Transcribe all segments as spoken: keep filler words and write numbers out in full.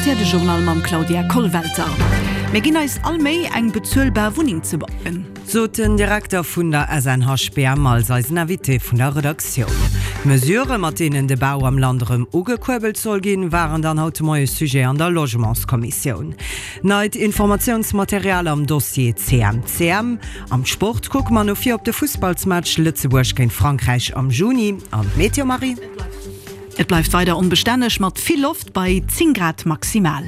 R T L de Journal mam Claudia Kollwelter. Mir ginn eis all Méi, eng bezuelbar Wunneng ze bauen. Sot den Direkter vun der S N H B M als eisen Invité vun der Redaktioun. Mesurë mat deenen de Bau am Land erëm ugekuerbelt soll ginn, waren dann haut de Moie Sujet an der Logementskommissioun. Neit Informatiounsmaterial am Dossier C M C M. Am Sport kucke mer no vir op de Fussballsmatch Lëtzebuerg géint Frankräich am Juni. An d'Meteo, Marie? Et bleift weider onbestänneg mat vill Loft bei zéng Grad maximal.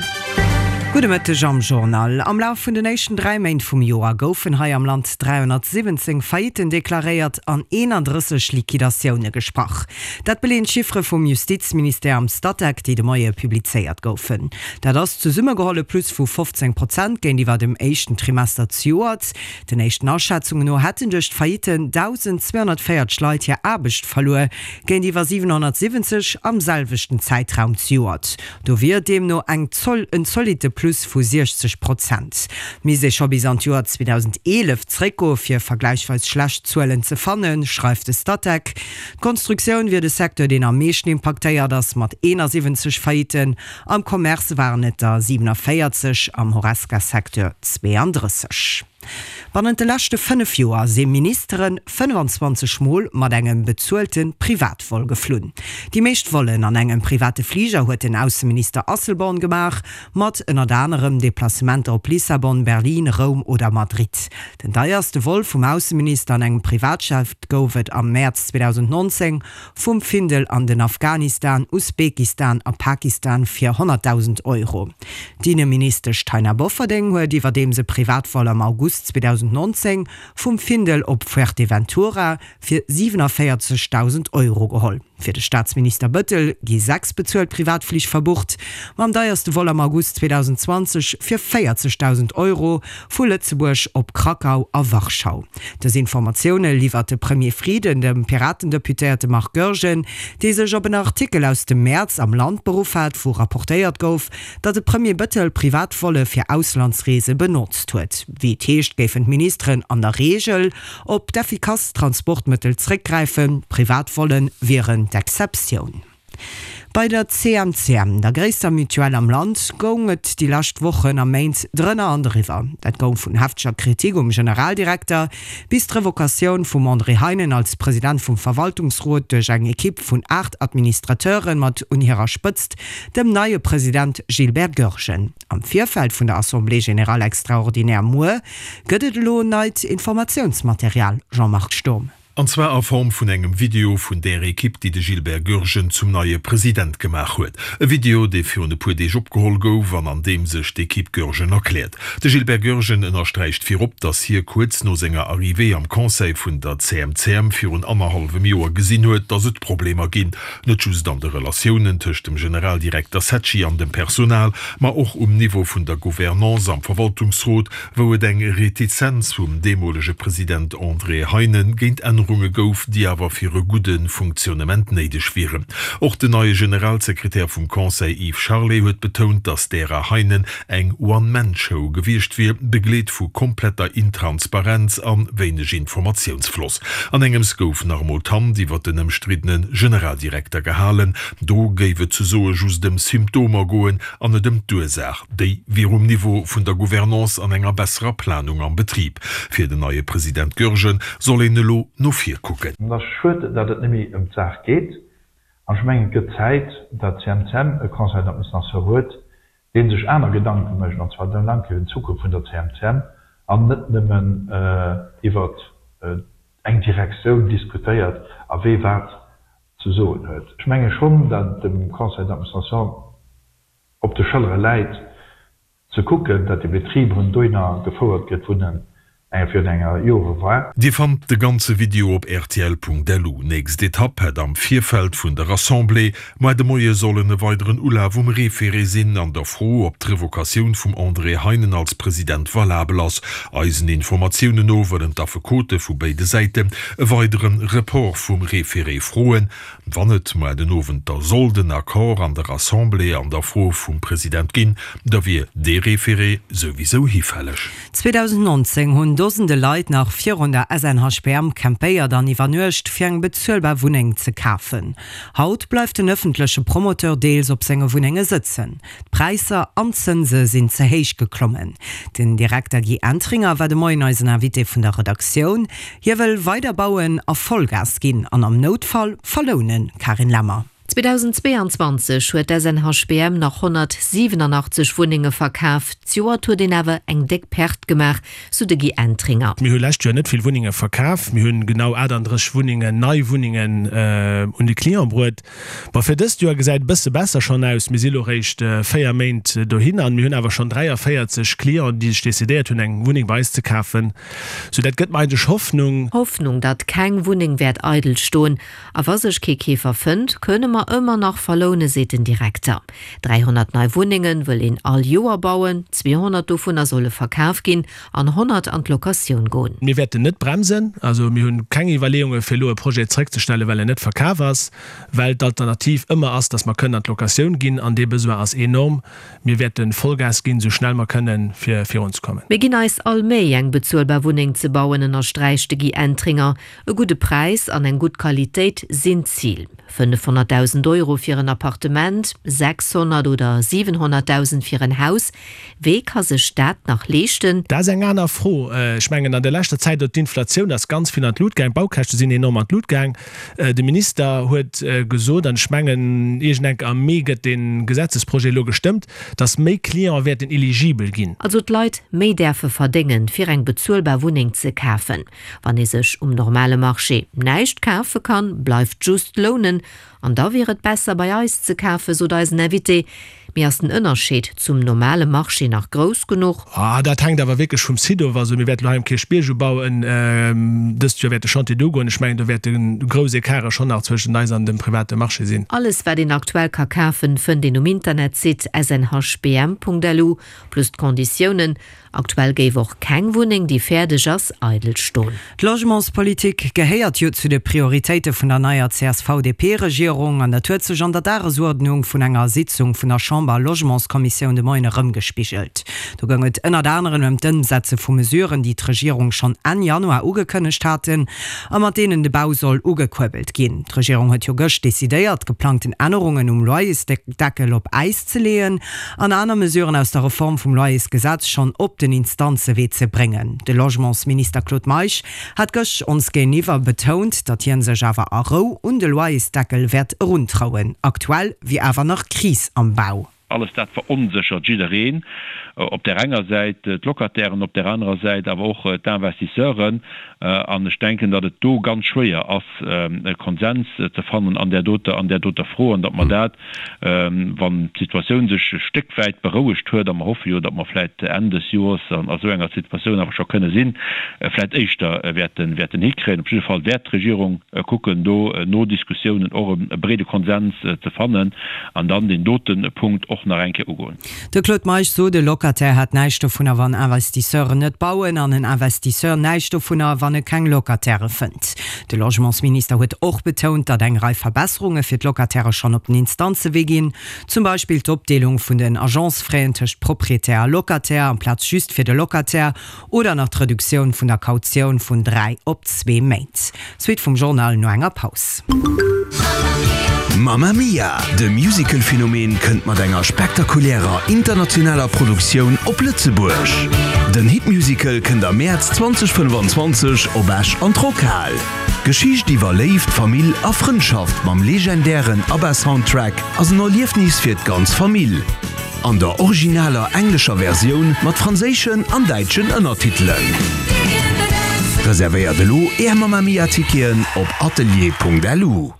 Gudde Mëtteg am Journal. Am Laf vun den éischten dräi Méint vum Joer goufen hei am Land dräihonnertsiwwenzéng Faillitten deklaréiert an eenandrësseg Liquidatioune gesprach. Dat beleeën d'Chiffere vum Justizministère am Statec, déi de Moie publizéiert goufen. Dat ass zesummegeholl e Plus vu fofzéng Prozent géintiwwer dem éischten Trimester zejoert. Den éischten Aschätzungen no hätten duerch d'Faillitten dausendzweehonnertvéierzeg Leit hir Aarbecht verluer, géintiwwer siwenhonnertsiwwenzeg am selwechten Zäitraum zejoert. Do wier deemno eng Zoll en zolitte Plus vu siechzeg Prozent. Misst ee scho bis an d'Joer zweedausendeelef zréckgoe fir vergläichsweis schlecht Zuelen ze fannen, schreift de Statec. D'Konstruktioun wier de Secteur deen am meeschten impaktéiert ass, mat eenasiwwenzeg Faillitten. Am Commerce waren et der siewenenvéierzeg, am Horesca-Secteur zweeandrësseg. Bannent de leschte fënnef Joer si Ministere fënnefanzwanzeg Mol mat engem bezuelte Privatvol geflunn. Déi meescht Vollen an engem private Fliger huet den Ausseminister Asselborn gemaach, mat ënnert anerem Deplacementer op Lissabon, Berlin, Roum oder Madrid. Den deierste Vol vum Ausseminister an engem Privatjet gouf et am Mäerz zweedausendnonzéng vum Findel an den Afghanistan, Usbekistan a Pakistan fir honnertdausend Euro. D'Inneministesch Taina Bofferding huet iwwerdeems e Privatvol am August zweedausendnonzéng vum Findel op Fuerteventura fir siwenavéierzegdausend Euro geholl. Fir de Staatsminister Bettel gi sechs bezuelt Privatflich verbucht, mam deierste Vol am August zweedausendzwanzeg fir véierzegdausend Euro vu Lëtzebuerg op Krakau a Warschau. Dës Informatioune liwwert de Premier Frieden dem Piraten-Deputéierte Marc Goergen, dee sech op en Artikel aus dem Mäerz am Land beruff hat, wou rapportéiert gouf, datt de Premier Bettel Privatvolle fir Auslandsreese benotzt huet. Wéi et heescht, géifen d'Ministeren an der Reegel op d'effikass Transportmëttel zréckgräifen, Privatvolle wieren d'Exceptioun. Bei der C M C M, der gréisster Mutuelle am Land, goung et déi lescht Wochen a Méint drënner an driwwer. Dat goung vun hefteger Kritik um Generaldirekter bis d'Revocatioun vum André Heinen als President vum Verwaltungsrot duerch eng Ekipp vun aacht Administrateure mat un hirer Spëtzt dem neie President Gilbert Goergen. Am Virfeld vun der Assemblée générale extraordinaire muer gëtt et elo neit Informatiounsmaterial, Jean-Marc Sturm. An zwar a Form vun engem Video vun der Ekipp, déi de Gilbert Goergen zum neie President gemaach huet. E Video, dee virun e puer Deeg opgeholl gouf an an deem sech d'Ekipp Goergen erkläert. De Gilbert Goergen ënnersträicht virop, datt hie kuerz no senger Arrivée am Conseil vun der C M C M virun annerhallwem Joer gesinn huet, datt et Problemer ginn. Net just an de Relatiounen tëscht dem Generaldirekter Secci an dem Personal, ma och um Niveau vun der Gouvernance am Verwaltungsrot, wou et eng Retizenz vum deemolege President André Heinen géint Ännerunge gouf, déi awer fir e gudde Fonctionnement néideg wieren. Och den neie Generalsekretär vum Conseil Yves Charlet huet betount, datt d'Ära Heinen eng One-Man-Show gewiescht wier, begleet vu kompletter Intransparenz a wéineg Informatiounsfloss. An engems gouf nach emol d'Hand iwwer den ëmstriddene Generaldirekter gehalen. Do géif et souzesoe just ëm Symptomer goen an net ëm d'Ursaach. Déi wier um Niveau vun der Gouvernance an enger besserer Planung am Betrib. Fir den neie President Goergen soll een elo no vir kucken. Et ass schued, datt et net méi ëm d'Saach geet. An ech mengen, et gëtt Zäit, datt d'C M C M e Conseil d'administration huet, dee sech aner Gedanke mécht, an zwar Gedanken iwwer d'Zukunft vun der C M C M an net nëmmen iwwer eng Direktioun diskutéiert a wee wat ze soen huet. Ech menge schonn, datt dem Conseil d'administration op de Schëllere läit, ze kucken, datt de Betrib erëm dohinner gefouert gëtt, wou en eng virun enger Jore war. Dir fannt de ganze Video op rtl Punkt L U. Nächst Etapp hätt am Virfeld vun der Assemblée muer de Moie sollen e weideren Ulaf um Référé sinn an der Fro, ob d'Revocatioun vum André Heinen als President valabel ass. Eisen Informatiounen no wëllen d'Affekote vu béide Säiten e weidere Report vum Référé froen. Wann et muer den Owend da sollt en Accord an der Assemblée an der Fro vum President ginn, da wier dee Référé souwisou hifälleg. zweedausendnonzéng hunn Dosende Leit nach virun der S N H B M campéiert an iwwernuecht, fir eng bezuelbar Wunneng ze kafen. Haut bleift den ëffentleche Promoteur deels op senge Wunnenge sëtzen. D'Präisser an d'Zënse sinn ze héich geklommen. Den Direkter Guy Entringer war de Moien eisen Invité vun der Redaktioun. Hie wëll weider bauen a Vollgas ginn an am Noutfall verlounen. Karin Lemmer. zweitausendzweiundzwanzeg huet d'S N H B M nach honnertsiewenundachtzeg Wunnenge verkaf. D'Joer huet een awer eng déck Perte gemaach, sou de Guy Entringer. Mir hu lescht Joer net vill Wunnenge verkaf. Mir hunn genau achtunddrësseg Wunnengen, nei Wunnengen, äh, un de Client bruet. Ma fir dëst Joer gesäit e bësse besser schonn aus. Mir si lo réischt, äh, véier Méint dohin an mir hunn awer schonn dräiavéierzeg Clienten, déi sech decidéiert hunn, eng Wunneng bei eis ze kafen. So dat gëtt mir eigentlech Hoffnung. Hoffnung, datt keng Wunneng wäert eidel stoen. A wa sech kee Keefer fënnt, kënne mer ëmmer nach verloune, seet den Direkter. dreihundert nei Wunnengen wëll een all Joer bauen, zweihundert dovunner solle verkaf ginn an honnert an d'Locatioun goen. Mir wäerten net bremsen, also mir hunn keng Iwwerleeunge fir lo e Projet zréckzestellen, well er net verkaf ass, well d'Alternativ ëmmer ass, dass mer kënnen an d'Locatioun ginn an dee Besoin ass enorm. Mir wäerten Vollgas ginn, so schnell mer kënnen, fir virunzekommen. Mir ginn eis all Méi, eng bezuelbar Wunneng ze bauen, ënnersträicht de Guy Entringer. E gudde Preis an eng gutt Qualitéit sinn d'Zil. fënnefhonnertdausend Euro fir en Appartement, sechshonnert oder siewenhonnertdausend fir en Haus. Wee ka sech dat nach leeschten? Dat ass eng aner Fro. Äh, ech mengen, an der leschter Zäit huet d'Inflatioun ass ganz vill an d'Lut gaang. D'Baukäschte sinn enorm an d'Lut gaang. Äh, de Minister huet, äh, gesot, an ech mengen, iergendenk am Mee gëtt den Gesetzesprojet lo gestëmmt, dass méi Clienten wäerten eligibel ginn. Also d'Leit méi däerfe verdéngen, fir eng bezuelbar Wunneng ze kafen. Wann ee sech um normale Marché näischt kafe kann, bleift just lounen. An da wier et besser bei eis ze kafen, sot eisen Invité. Mir ass den Ënnerscheed zum normale Marché nach grouss genuch. Ah, dat hänkt awer wierklech vum Site of. Also, mir wäerten lo hei um Kierchbierg ubauen. Ähm, dëst Joer wäert de Chantier do goen. Ech mengen, do wäerten grouss Ecarte schonn nach zwëschen eis an dem private Marché sinn. Alles, wat een aktuell ka kafen, fënnt een um Internetsite s n h b m punkt l u, plus d'Konditiounen. Aktuell géif och keng Wunneng, déi fäerdeg ass, eidel stoen. D'Logementspolitik gehéiert jo zu de Prioritéite vun der neier C S V D P-Regierung an dat huet sech an der Dagesuerdnung vun enger Sitzung vun der Chamber-Logementskommissioun de Moien erëmgespigelt. Do goung et ënnert anerem ëm d'Ëmsetze vu Mesuren, déi d'Regierung schonn Enn Januar ugekënnegt haten a mat deenen de Bau soll ugekuerbelt ginn. D'Regierung huet jo gëscht decidéiert, geplangten Ännerungen um Loyersdeckel op Äis ze leeën an aner Mesuren aus der Reform vum Loyersgesetz schonn op den Instanzewee ze bréngen. De Logementsminister Claude Meisch hat gëscht ons géintiwwer betount, datt hien sech awer a Rou un de Loyersdeckel wäert eruntrauen. Aktuell wier awer nach Kris am Bau. Alles dat verunsichert jiddereen. Op der enger Säit d'Locatairen, op der anerer Säit awer och d'Investisseuren. An ech denken, datt et do ganz schwéier ass, e Konsens ze fannen an der doter, an der doter Fro, an datt mer dat, wann d'Situatioun sech e Stéck wäit berouegt huet, a mer hoffe jo, datt mer vläicht Enn des Joers an a sou enger Situatioun awer scho kënne sinn, vläicht éischter wäerten, wäerten hikréien. Op jidde Fall wäert d'Regierung kucken, do no Diskussiounen och e breede Konsens ze fannen an dann den doten Punkt och nach eng Kéier ugoen. De Claude Meisch sot, de Locataire hat näischt dovunner, wann Investisseuren net bauen an en Investisseur näischt dovunner, wann e keng Locataire fënnt. De Logementsminister huet och betount, datt eng Rei Verbesserunge fir d'Locataire schonn op den Instanzewee ginn, zum Beispill d'Opdeelung vun den Agencefraien tëscht Proprietär a Locataire amplaz just fir de Locataire oder nach d'Reduktioun vun der Kautioun vun dräi op zwee Méint. Suite vum Journal no enger Paus. Mamma Mia, de Musical-Phänomen kënnt mat enger spektakulärer internationaler Produktioun op Lëtzebuerg. Den Hitmusical kënnt am März zweitausendfënnfundzwanzeg op Esch an d'Rockhal. Geschicht iwwer Léift, Famill a Frëndschaft mam legendären ABBA-Soundtrack ass en Erliefnis fir d'ganz Famill. An der originaler englescher Versioun mat franséischen an däitschen Ënnertitelen. Reservéiert elo Är Mamma Mia-Ticketen op atelier punkt L U.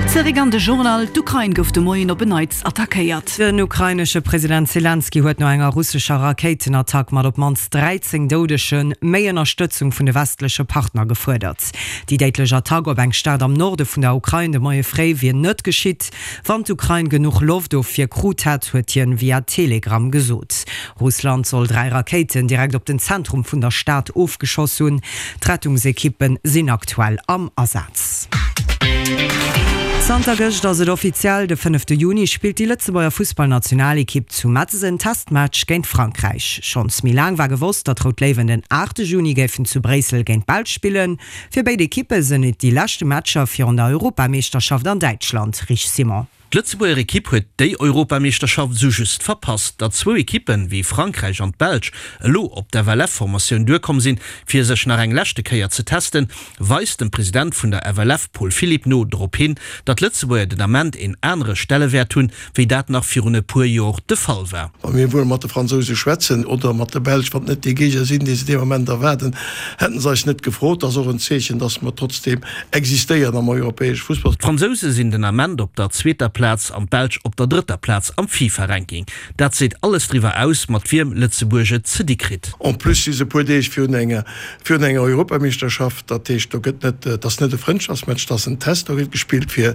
Zeréck an de Journal. D'Ukrain gouf de Moien op en Neits attackéiert. Den ukrainesche President Zelensky huet no enger russescher Rakéitenattack mat op d'mannst dreizéng Doudegen méi Ënnerstëtzung vun de westleche Partner gefuerdert. Déi déidlech Attack op eng Stad am Norde vun der Ukrain de Moie fréi wier net geschitt. Wann d'Ukrain genuch Loft dofir krut hätt, huet hien via Telegram gesot. Russland soll dräi Rakéiten direkt op den Zentrum vun der Stad ofgeschoss hunn. D'Rettungsekippen sinn aktuell am Asaz. Zanter gëscht ass et offiziell, De fënnefte Juni spillt déi Lëtzebuerger Fussballnationalekipp zu Metz en Testmatch géint Frankräich. Schonns méi laang war gewosst, datt d'Rout Léiwen den aachte Juni géifen zu Bréissel géint d'Belsch spillen. Fir béid Ekippe sinn et déi leschte Matcher virun der Europameeschterschaft an Däitschland. Rich Simon. D'Lëtzebuerger Ekipp huet déi Europameeschterschaft esou just verpasst. Datt zwou Ekippen, wéi Frankräich an d'Belsch, elo op d'FLF-Formatioun duerkomm sinn, fir sech nach eng leschte Kéier ze testen, weist dem President vun der FLF Paul Philipp no drop hin, datt d'Lëtzebuerger den Ament een anere Stellewäert hunn, wéi dat nach virun e puer Jor de Fall war. Wa mir wuel mat de Fransouse schwätzen oder mat de Belsch, wann et net déi Géigner sinn, déi se dee Moment erwaarden, hätte se eis net gefrot. Dat ass och en Zeechen, datt mer trotzdeem existéieren am europäesche Fussball. D'Fransouse sinn den Ament op der zweeter Plaz an d'Belsch op der drëtter Plaz am FIFA-Ranking. Dat seet alles driwwer aus, mat wiem Lëtzebuerg et ze di kritt. En plus si se e puer Deeg virun enger virun enger Europameeschterschaft. Dat heescht, do gëtt net, et ass net e Frëndschaftsmatch, et ass en Test, do gëtt gespillt fir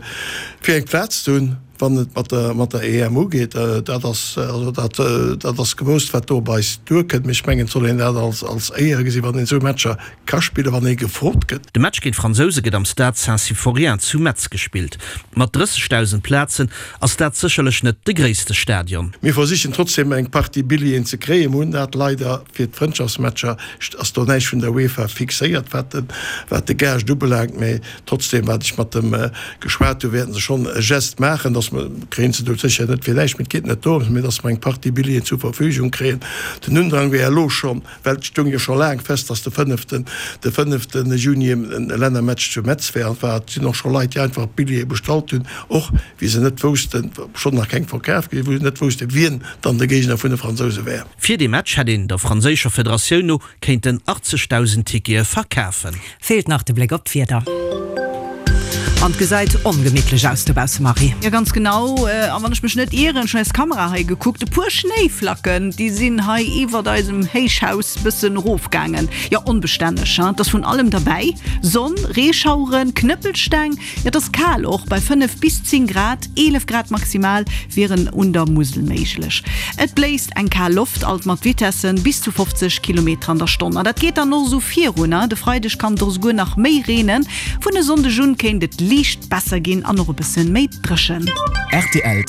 fir eng Plaz ze hunn, wann et mat der mat der E M ugeet. Dat ass also dat dat ass gewousst, wat do op eis duerkënnt. Mee ech mengen, et soll een dat als als Éier gesinn, wann een esou Matcher ka spillen, wann ee gefrot gëtt. De Match géint d'Fransouse gëtt am Stade Saint-Symphorien zu Metz gespillt. Mat drëssegdausend Plazen ass dat sécherlech net de gréisste Stadion. Mir versichen trotzdem eng Partie Billjeeën ze kréien. Mir hunn dat leider fir d'Frëndschaftsmatcher ass do näischt vun der UEFA fixéiert, wat de wat de Gaascht ubelaangt. Mee trotzdem, wat ech mat dem geschwat hunn, wäerten se schonn e Geste maachen, dass mer, kréien se do sécher net fir näischt, mee et geet net dorëms, mee dass mer eng Partie Billjeeën zur Verfügung kréien. Den Undrang wär elo schonn, well et stoung jo scho laang fest, dass de fënneften, de fënneften Juni e Lännermatch zu Metz wär. An et war, et sinn och scho Leit, déi einfach Billjeeë bestallt hunn, och wéi se net woussten, schonn nach keng verkaf ginn, wou se net woussten, wien dann de Géigner vun de Fransouse wär. Fir dee Match hätt een der franséischer Federatioun no kéinten achtzegdausend Tickete verkafen. Feelt nach de Bléck op d'Wieder. An et gesäit ongemittlech aus dobausse, Marie. Jo, ganz genau. A wann ech mech net ieren, ech hunn eis Kamera hei gekuckt, e puer Schnéiflacken, déi sinn hei iwwert eisem Héichhaus bëssen erofgaangen. Jo, onbestänneg, hein. Et ass vun allem derbäi, Sonn, Reeschaueren, Knëppelsteng. Jo, et ass kal och, bei fënnef bis zéng Grad, eelef Grad maximal wieren un der Musel méiglech. Et bléist eng kal Loft, alt mat Vitessen bis zu fofzeg Kilometer an der Stonn. An dat geet dann och esou virun, hein. De Freideg kann et och esouguer nach méi reenen. Vun e Sonndeg un kéint et liicht besser ginn an och e bëssen méi dréchen. Rtl.